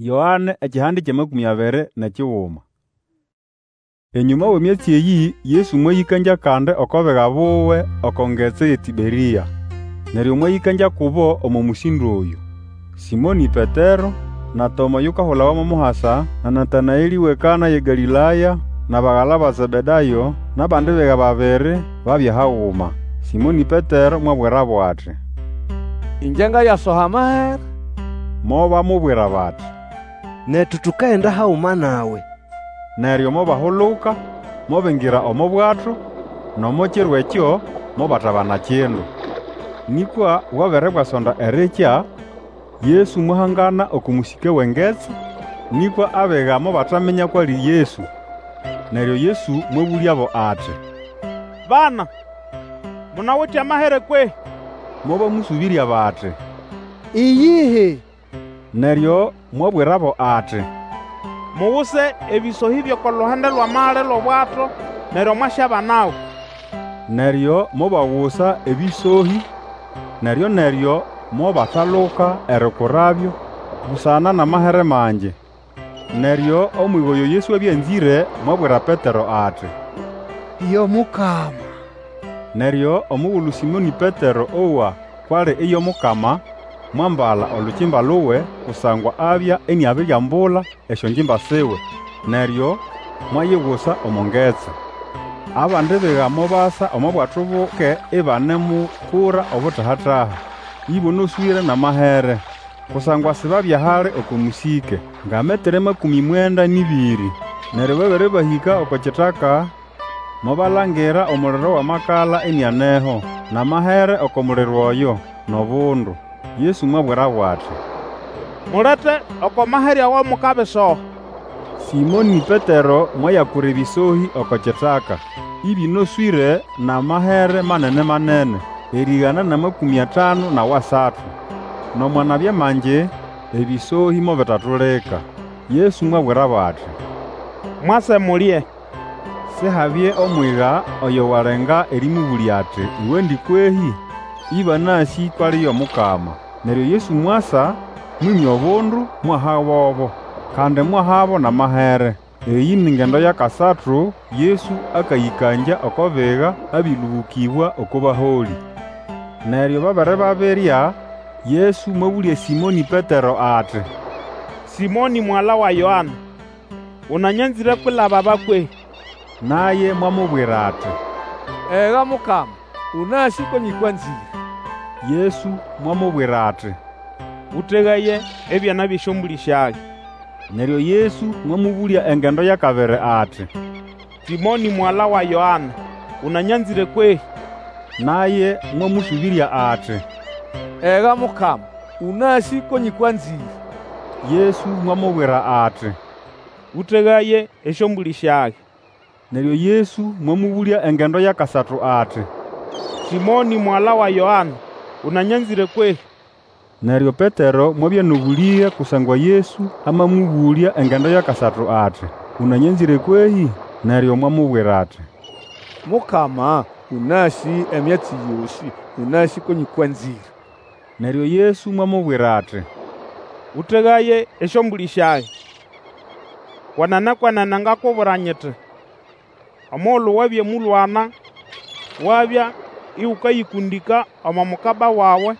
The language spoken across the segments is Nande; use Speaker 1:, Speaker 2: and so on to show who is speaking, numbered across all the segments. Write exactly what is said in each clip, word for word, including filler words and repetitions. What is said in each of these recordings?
Speaker 1: Yoane ekihande ky'amakũmĩ abiri n'ekiguma. Enyũma w'emyatsi eyĩ Yesu mwayĩkangya kandi oko biga buwe oko ngetsi y'eTĩberĩa. Neryo mwayĩkangya kubo omo mũsĩndo oyũ: Sĩmonĩ Petero, na Toma oyukahulawa mo Muhasa, na Natanaelĩ w'eKana y'eGalĩlaya, n'abagala ba Zebedayo, n'abandi biga babiri babya haguma. Sĩmonĩ Petero mwabwirabo ati,
Speaker 2: Ĩngye ngayasoha amahere.
Speaker 1: Mobamubwira bati,
Speaker 3: Netu tukagenda haguma nawe.
Speaker 1: Neryo mobahuluka, mobingira omo bwato, n'omo kiro ekyo mobatabana kindu. Nĩkwa bwabere bwasonda erikya, Yesu mwahangana oko mũsĩke w'engetsi, nĩkwa abiga mobataminya kw'ali Yesu. Neryo Yesu mwabũlyabo ati,
Speaker 4: Bana, munawite amahere kwehĩ?
Speaker 1: Mobamũsũbĩrya bati,
Speaker 5: Iyihi.
Speaker 1: Neryo mwabwirabo ati,
Speaker 4: Muguse ebĩsohĩ by'oko luhande lw'amali lw'obwato, neryo mwasyabanago.
Speaker 1: Neryo mobagusa ebĩsohĩ, neryo-neryo mobataluka erikurabyo busana n'amahere mangi. Neryo omwiga oyo Yesu abya anzĩre mwabwira Petero ati,
Speaker 5: Yo Mukama!
Speaker 1: Neryo omugulu Sĩmonĩ Petero owa kw'ali iyo Mukama, mwambala olukimba luwe, kusangwa abya iniabiriambula esyongimba siwe, neryo mwayigusa omo ngetsi. Abandi biga mobasa omo bwato buke ibanemukura obutaha-taha, ĩbonoswĩre n'amahere, kusangwa sibabya hali oko mũsĩke, nga metere makũmĩ mwenda n'ĩbĩrĩ. Neryo babere bahĩka oko kitaka, mobalangira omuliro w'amakala inianeho, n'amahere oko muliro oyo, n'obundu. Yesu mwabwirabo ati,
Speaker 4: Mulete oko mahere ago mukabisoha.
Speaker 1: Sĩmonĩ Petero mwayakura ebĩsohĩ oko kitaka, ĩbĩnoswĩre n'amahere manene-manene, erĩgana n'amakũmĩ atanu n'awasatu. Nomo anabya mangi, ebĩsohĩ mobitatulika. Yesu mwabwirabo ati,
Speaker 4: Mwase mulye.
Speaker 1: Sihabye omwiga oyo walenga erĩmũbũlya ati, Uwendi kwehĩ? Ĩbanasĩ kw'ali yo Mukama. Neryo Yesu mwasa, mwĩmya obundu, mwahabobo, kandi mwahabo n'amahere. Eyĩ ni ngendo y'akasatu Yesu akayĩkangya oko biga abĩlũbũkĩbwa oko baholĩ. Neryo babere babirya, Yesu mwabũlya Sĩmonĩ Petero ati,
Speaker 4: Sĩmonĩ mugala wa Yoane, ũnanyanzĩre kwilaba aba kwehĩ?
Speaker 1: Naye mwamubwira ati,
Speaker 2: Ega Mukama, ũnasĩ ko nyĩkwanzĩre.
Speaker 1: Yesu mwamubwira ati,
Speaker 4: Ũtegaye ebyana by'esyombũlĩ syage.
Speaker 1: Neryo Yesu mwamũbũlya engendo y'akabiri ati,
Speaker 4: Sĩmonĩ mugala wa Yoane, ũnanyanzĩre kwehĩ?
Speaker 1: Naye mwamũsũbĩrya ati,
Speaker 2: Ega Mukama, ũnasĩ ko nyĩkwanzĩre.
Speaker 1: Yesu mwamubwira ati,
Speaker 4: Ũtegaye esyombũlĩ syage.
Speaker 1: Neryo Yesu mwamũbũlya engendo y'akasatu ati,
Speaker 4: Sĩmonĩ mugala wa Yoane, ũnanyanzĩre kwehĩ?
Speaker 1: Neryo Petero mwabya n'obũlĩge kusangwa Yesu amamũbũlya engendo y'akasatu ati, Ũnanyanzĩre kwehĩ? Neryo mwamubwira ati,
Speaker 2: Mukama, ũnasĩ emyatsi yosĩ, ũnasĩ ko nyĩkwanzĩre.
Speaker 1: Neryo Yesu mwamubwira ati,
Speaker 4: Ũtegaye esyombũlĩ syage. Kwenene, kwenene ngakubwira nyiti, Omugulu wabya mũlwana, wabya ĩgũkayĩkũndĩka omo mukaba wawe,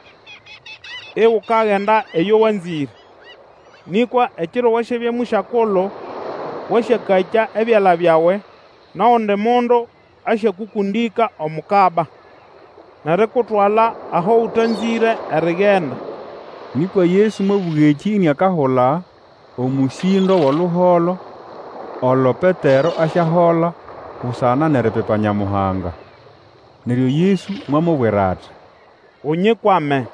Speaker 4: igukagenda eyo wanzĩre. Nĩkwa ekiro wasyabya mũsyakulu, wasyakakya ebyala byawe, n'ogundi mundu asyakũkũndĩka omukaba, n'erikutwala aho ũtanzĩre erigenda.
Speaker 1: Nĩkwa Yesu mwabũga ekĩ iniakahula omũsĩndo w'oluholo olo Petero asyahola busana n'eripipa Nyamuhanga. Neryo Yesu mwamubwira ati,
Speaker 4: Unyikwame.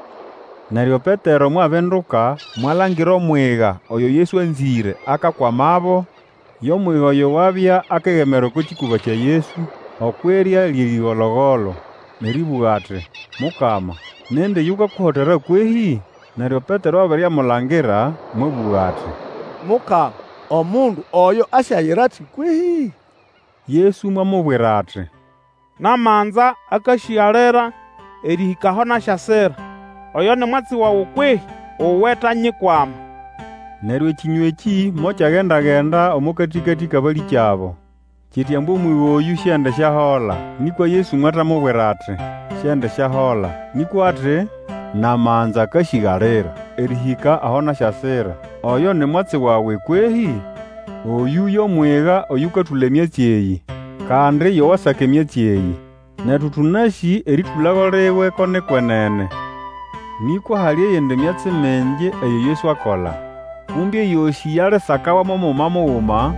Speaker 1: Neryo Petero mwabinduka, mwalangira omwiga oyo Yesu anzĩre akakwamabo, yo mwiga oyo wabya akegemera oko kĩkũba kya Yesu okw'irya ly'erĩgolo-golo, n'erĩbũga ati, Mukama, nindi yukakuhotera kwehĩ? Neryo Petero abere amulangira, mwabũga ati,
Speaker 2: Mukama, omundu oyo asyayira ati kwehĩ?
Speaker 1: Yesu mwamubwira ati,
Speaker 4: Namanza akasĩgalira erĩhĩka aho nasyasira, oyo ni mwatsi wawe kwehĩ? Uwe tanyikwama.
Speaker 1: Neryo ekĩnywa ekĩ mokyagenda-genda omo katĩkatĩ k'abalĩkyabo, kiti ambu omwiga oyũ siendisyahola. Nĩkwa Yesu mwatamubwira ati, Siendisyahola, nĩkwa ati, Namanza akasĩgalira erĩhĩka aho nasyasira, oyo ni mwatsi wawe kwehĩ? Oyũ yo mwiga oyũkatũla emyatsi eyĩ, kandi yo wasaka emyatsi eyĩ. Netu tũnasĩ erĩtũlago liwe ko ni kwenene. Nĩkwa hali eyindi myatsi mingi eyo Yesu akola. Kumbe eyosĩ yalisakawa mo muguma muguma,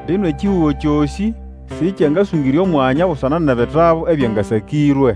Speaker 1: mbino ekihugo kyosĩ sĩkyangasũngĩrya omwanya busana n'ebitabu ebyangasakĩrwe.